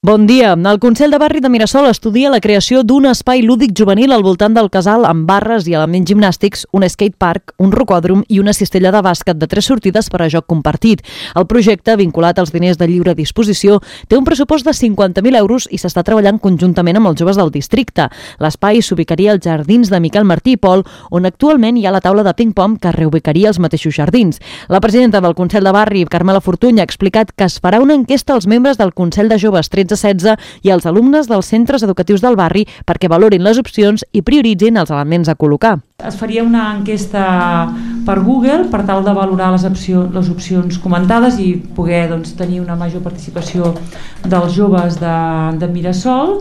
Bon dia. El Consell de Barri de Mirasol estudia la creació d'un espai lúdic juvenil al voltant del casal amb barres i elements gimnàstics, un skatepark, un rocòdrom i una cistella de bàsquet de 3 sortides per a joc compartit. El projecte, vinculat als diners de lliure disposició, té un pressupost de 50.000 euros i s'està treballant conjuntament amb els joves del districte. L'espai s'ubicaria als jardins de Miquel Martí i Pol, on actualment hi ha la taula de ping-pong que reubicaria els mateixos jardins. La presidenta del Consell de Barri, Carmela Fortuny, ha explicat que es farà una enquesta als membres del Consell de Joves 13-16 i als alumnes dels centres educatius del barri perquè valorin les opcions i prioritzin els elements a col·locar. Es faria una enquesta per Google per tal de valorar les opcions comentades i poder tenir una major participació dels joves de Mirasol.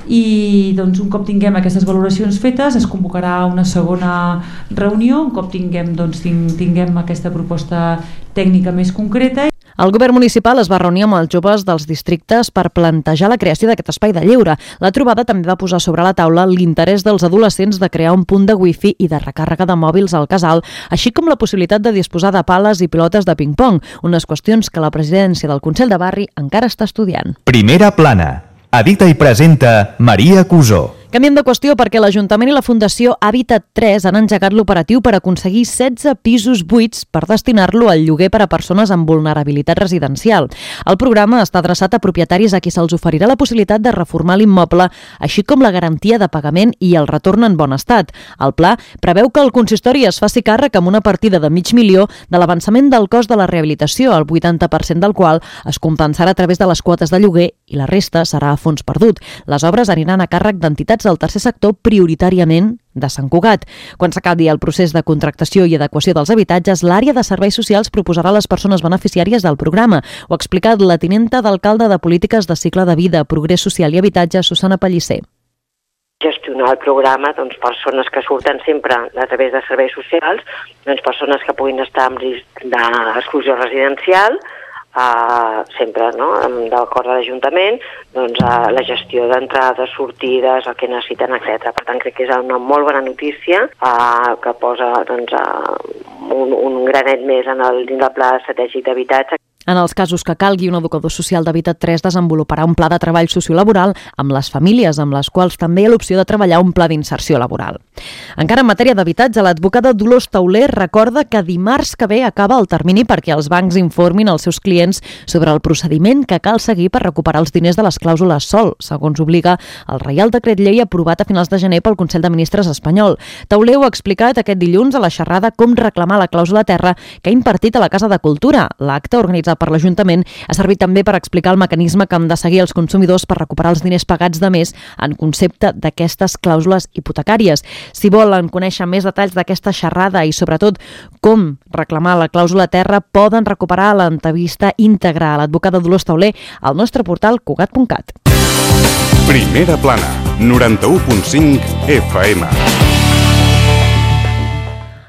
I un cop tinguem aquestes valoracions fetes es convocarà una segona reunió, un cop tinguem aquesta proposta tècnica més concreta. El govern municipal es va reunir amb els joves dels districtes per plantejar la creació d'aquest espai de lleure. La trobada també va posar sobre la taula l'interès dels adolescents de crear un punt de wifi i de recàrrega de mòbils al casal, així com la possibilitat de disposar de pales i pilotes de ping-pong, unes qüestions que la presidència del Consell de Barri encara està estudiant. Primera plana. Edita i presenta Maria Cusó. Canviem de qüestió perquè l'Ajuntament i la Fundació Hàbitat 3 han engegat l'operatiu per aconseguir 16 pisos buits per destinar-lo al lloguer per a persones amb vulnerabilitat residencial. El programa està adreçat a propietaris a qui se'ls oferirà la possibilitat de reformar l'immoble, així com la garantia de pagament i el retorn en bon estat. El pla preveu que el consistori es faci càrrec amb una partida de $500.000 de l'avançament del cost de la rehabilitació, el 80% del qual es compensarà a través de les quotes de lloguer i la resta serà a fons perdut. Les obres aniran a càrrec d'entitats del tercer sector, prioritàriament de Sant Cugat. Quan s'acabi el procés de contractació i adequació dels habitatges, l'àrea de serveis socials proposarà a les persones beneficiàries del programa. Ho ha explicat la tinenta d'alcalde de Polítiques de Cicle de Vida, Progrés Social i Habitatge, Susana Pellicer. Gestionar el programa, persones que surten sempre a través de serveis socials, persones que puguin estar en risc d'exclusió residencial, sempre d'acord a l'Ajuntament, la gestió d'entrades, sortides, el que necessiten, etc. Per tant, crec que és una molt bona notícia que posa un granet més dins del Pla Estratègic d'Habitatge. En els casos que calgui, un educador social d'Hàbitat 3 desenvoluparà un pla de treball sociolaboral amb les famílies, amb les quals també hi ha l'opció de treballar un pla d'inserció laboral. Encara en matèria d'habitatge, l'advocada Dolors Tauler recorda que dimarts que ve acaba el termini perquè els bancs informin als seus clients sobre el procediment que cal seguir per recuperar els diners de les clàusules SOL, segons obliga el Reial Decret Llei aprovat a finals de gener pel Consell de Ministres espanyol. Tauler ho ha explicat aquest dilluns a la xerrada Com reclamar la clàusula terra que ha impartit a la Casa de Cultura. L'acte organitzat per l'Ajuntament ha servit també per explicar el mecanisme que han de seguir els consumidors per recuperar els diners pagats de més en concepte d'aquestes clàusules hipotecàries. Si volen conèixer més detalls d'aquesta xerrada i sobretot com reclamar la clàusula terra, poden recuperar l'entrevista íntegra a l'advocada Dolors Tauler al nostre portal cugat.cat. Primera plana, 91.5 FM.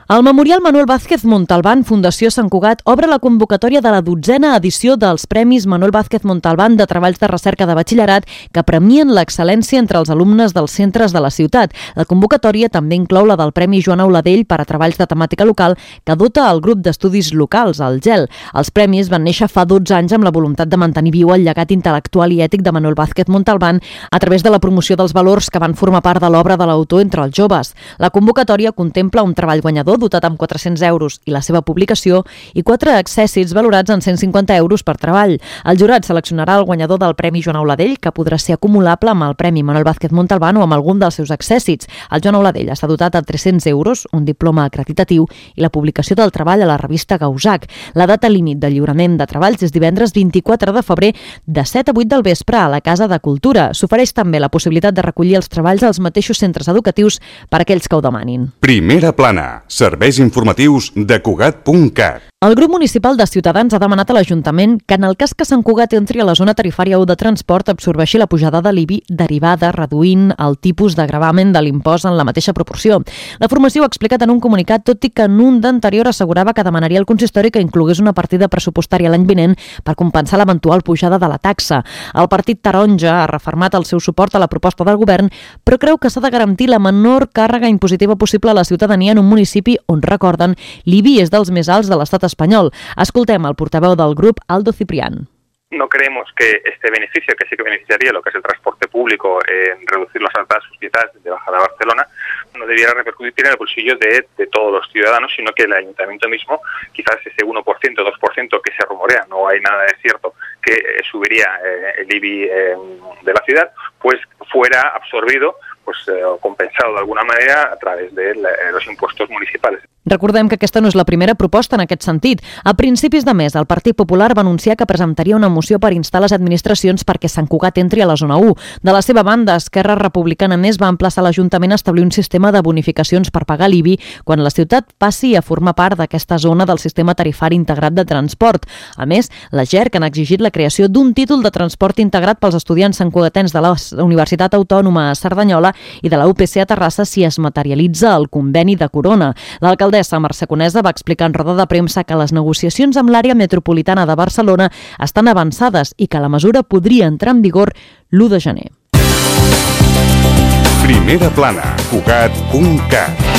El Memorial Manuel Vázquez Montalbán Fundació Sant Cugat obre la convocatòria de la 12a edició dels Premis Manuel Vázquez Montalbán de Treballs de Recerca de Batxillerat que premien l'excel·lència entre els alumnes dels centres de la ciutat. La convocatòria també inclou la del Premi Joan Auladell per a treballs de temàtica local que dota el grup d'estudis locals, el GEL. Els premis van néixer fa 12 anys amb la voluntat de mantenir viu el llegat intel·lectual i ètic de Manuel Vázquez Montalbán a través de la promoció dels valors que van formar part de l'obra de l'autor entre els joves. La convocatòria contempla un treball guanyador dotat amb 400 euros i la seva publicació i 4 accèssits valorats en 150 euros per treball. El jurat seleccionarà el guanyador del Premi Joan Auladell, que podrà ser acumulable amb el Premi Manuel Vázquez Montalbán o amb algun dels seus accèssits. El Joan Auladell està dotat a 300 euros, un diploma acreditatiu i la publicació del treball a la revista Gausac. La data límit de lliurament de treballs és divendres 24 de febrer de 7 a 8 del vespre a la Casa de Cultura. S'ofereix també la possibilitat de recollir els treballs als mateixos centres educatius per a aquells que ho demanin. Primera plana. Serveis informatius de Cugat.cat. El grup municipal de Ciutadans ha demanat a l'Ajuntament que en el cas que Sant Cugat entri a la zona tarifària 1 de transport absorbeixi la pujada de l'IBI derivada reduint el tipus de gravamen de l'impost en la mateixa proporció. La formació ho ha explicat en un comunicat, tot i que en un d'anterior assegurava que demanaria al consistori que inclogués una partida pressupostària l'any vinent per compensar l'eventual pujada de la taxa. El partit taronja ha refermat el seu suport a la proposta del govern, però creu que s'ha de garantir la menor càrrega impositiva possible a la ciutadania en un municipi on, recorden, l'IBI és dels més alts de l'estat espanyol. Escoltem el portaveu del grup, Aldo Ciprián. no creemos que este beneficio, que sí que beneficiaría lo que es el transporte público en reducir las altas sociedades de Bajada a Barcelona, no debiera repercutir en el bolsillo de todos los ciudadanos, sino que el ayuntamiento mismo, quizás ese 1%, 2% que se rumorea, no hay nada de cierto, que subiría el IBI de la ciudad, pues fuera absorbido o compensado de alguna manera a través de los impuestos municipales. Recordem que aquesta no és la primera proposta en aquest sentit. A principis de mes, el Partit Popular va anunciar que presentaria una moció per instar les administracions perquè Sant Cugat entri a la zona 1. De la seva banda, Esquerra Republicana Més va emplaçar l'Ajuntament a establir un sistema de bonificacions per pagar l'IBI quan la ciutat passi a formar part d'aquesta zona del sistema tarifari integrat de transport. A més, la GERC han exigit la creació d'un títol de transport integrat pels estudiants santcugatens de la Universitat Autònoma a Cerdanyola i de la UPC a Terrassa si es materialitza el conveni de Corona. L'alcaldessa Mercè Conesa va explicar en roda de premsa que les negociacions amb l'àrea metropolitana de Barcelona estan avançades i que la mesura podria entrar en vigor l'1 de gener. Primera plana, Cugat.cat.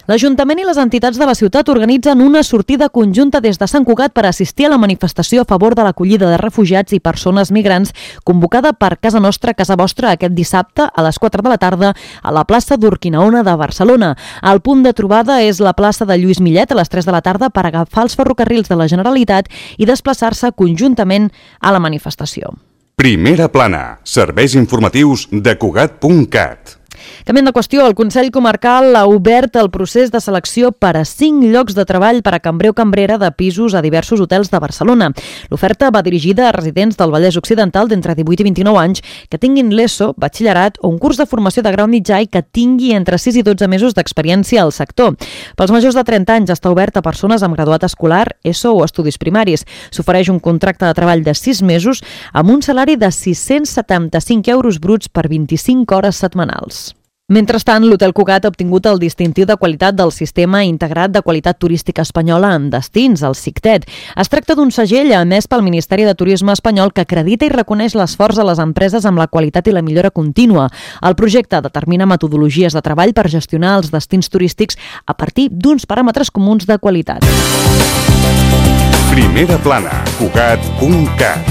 L'Ajuntament i les entitats de la ciutat organitzen una sortida conjunta des de Sant Cugat per assistir a la manifestació a favor de l'acollida de refugiats i persones migrants convocada per Casa Nostra, Casa Vostra aquest dissabte a les 4 de la tarda a la plaça d'Urquinaona de Barcelona. El punt de trobada és la plaça de Lluís Millet a les 3 de la tarda per agafar els ferrocarrils de la Generalitat i desplaçar-se conjuntament a la manifestació. Primera plana, serveis informatius de Cugat.cat. Canviant de qüestió, el Consell Comarcal ha obert el procés de selecció per a 5 llocs de treball per a cambrer o cambrera de pisos a diversos hotels de Barcelona. L'oferta va dirigida a residents del Vallès Occidental d'entre 18 i 29 anys que tinguin l'ESO, batxillerat o un curs de formació de grau mitjà i que tingui entre 6 i 12 mesos d'experiència al sector. Pels majors de 30 anys està obert a persones amb graduat escolar, ESO o estudis primaris. S'ofereix un contracte de treball de 6 mesos amb un salari de 675 euros bruts per 25 hores setmanals. Mentrestant, l'Hotel Cugat ha obtingut el distintiu de qualitat del Sistema Integrat de Qualitat Turística Espanyola en Destins, el SICTED. Es tracta d'un segell emès pel Ministeri de Turisme espanyol que acredita i reconeix l'esforç de les empreses amb la qualitat i la millora contínua. El projecte determina metodologies de treball per gestionar els destins turístics a partir d'uns paràmetres comuns de qualitat. Primera plana, Cugat.cat.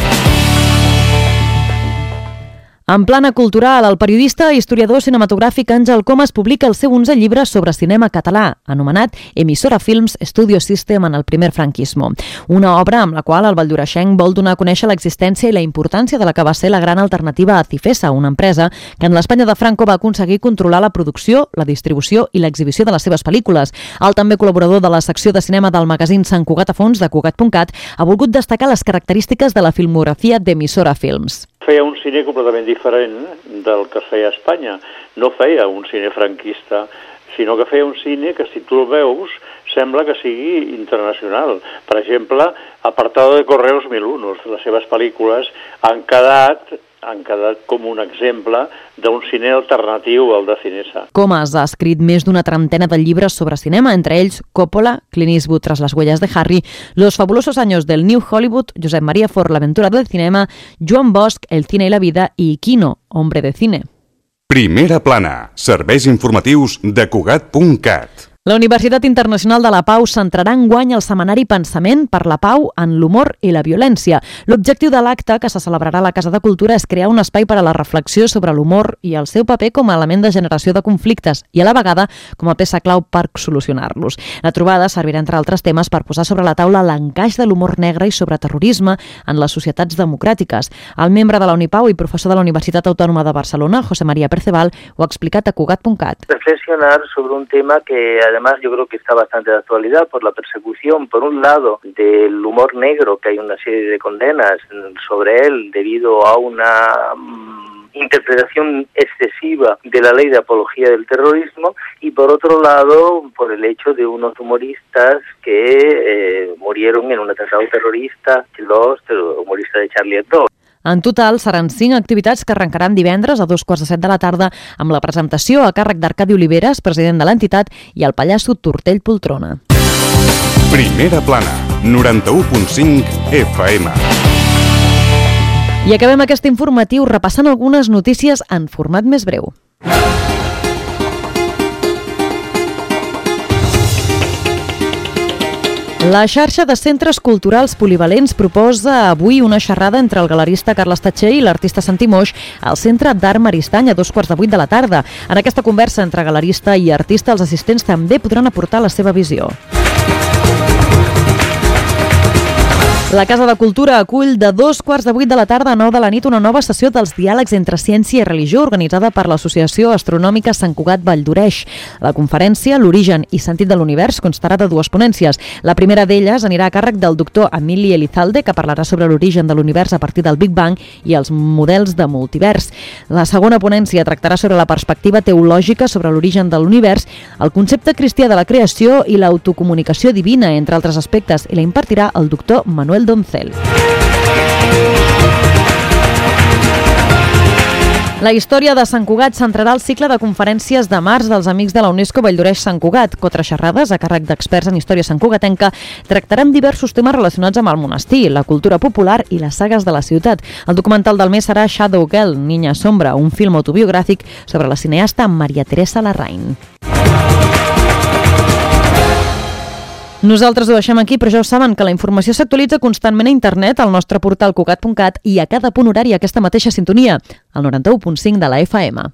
En plana cultural, el periodista i historiador cinematogràfic Àngel Comas publica el seu 11è llibre sobre cinema català, anomenat Emissora Films Studio System en el primer franquismo. Una obra amb la qual el valldoreixenc vol donar a conèixer l'existència i la importància de la que va ser la gran alternativa a Cifesa, una empresa que en l'Espanya de Franco va aconseguir controlar la producció, la distribució i l'exhibició de les seves pel·lícules. El també col·laborador de la secció de cinema del magazín Sant Cugat a Fons de Cugat.cat ha volgut destacar les característiques de la filmografia d'Emissora Films. Feia un cine completament diferent del que es feia a Espanya. No feia un cine franquista, sinó que feia un cine que, si tu el veus, sembla que sigui internacional. Per exemple, Apartado de Correos 1001, les seves pel·lícules han quedat com un exemple d'un cine alternatiu al de Cinesa. Comas ha escrit més d'una trentena de llibres sobre cinema, entre ells Coppola, Clint Eastwood tras las huellas de Harry, Los fabulosos años del New Hollywood, Josep María Fort, La aventura del cinema, Joan Bosch, El cine y la vida i Quino, Hombre de cine. Primera plana, serveis informatius de Cugat.cat. La Universitat Internacional de la Pau centrarà enguany el setmanari Pensament per la Pau en l'humor i la violència. L'objectiu de l'acte, que se celebrarà a la Casa de Cultura, és crear un espai per a la reflexió sobre l'humor i el seu paper com a element de generació de conflictes i, a la vegada, com a peça clau per solucionar-los. La trobada servirà, entre altres temes, per posar sobre la taula l'encaix de l'humor negre i sobre terrorisme en les societats democràtiques. El membre de la Unipau i professor de la Universitat Autònoma de Barcelona, José María Perceval, ho ha explicat a Cugat.cat. Reflexionar sobre un tema que además yo creo que está bastante de actualidad por la persecución, por un lado, del humor negro, que hay una serie de condenas sobre él debido a una interpretación excesiva de la ley de apología del terrorismo, y por otro lado, por el hecho de unos humoristas que murieron en un atentado terrorista, los humoristas de Charlie Hebdo. En total, seran 5 activitats que arrencaran divendres a 2:15 de la tarda amb la presentació a càrrec d'Arcadi Oliveres, president de l'entitat, i el pallasso Tortell Poltrona. Primera plana, 91.5 FM. I acabem aquest informatiu repassant algunes notícies en format més breu. La xarxa de centres culturals polivalents proposa avui una xerrada entre el galerista Carles Tatxer i l'artista Santi Moix al Centre d'Art Maristany a 2:15 de la tarda. En aquesta conversa entre galerista i artista, els assistents també podran aportar la seva visió. La Casa de Cultura acull de 2:15 de la tarda a 9 de la nit una nova sessió dels diàlegs entre ciència i religió organitzada per l'Associació Astronòmica Sant Cugat Valldoreix. La conferència, L'origen i sentit de l'univers, constarà de dues ponències. La primera d'elles anirà a càrrec del doctor Emili Elizalde, que parlarà sobre l'origen de l'univers a partir del Big Bang i els models de multivers. La segona ponència tractarà sobre la perspectiva teològica sobre l'origen de l'univers, el concepte cristià de la creació i l'autocomunicació divina, entre altres aspectes, i la impartirà el doctor Manuel Doncel. La història de Sant Cugat centrarà el cicle de conferències de març dels Amics de la UNESCO Valldoreix Sant Cugat. 4 xerrades a càrrec d'experts en història santcugatenca tractaran diversos temes relacionats amb el monestir, la cultura popular i les sagues de la ciutat. El documental del mes serà Shadow Girl, Niña Sombra, un film autobiogràfic sobre la cineasta Maria Teresa Larraín. Nosaltres ho deixem aquí, però ja ho saben que la informació s'actualitza constantment a internet al nostre portal cugat.cat i a cada punt horari aquesta mateixa sintonia, al 91.5 de la FM.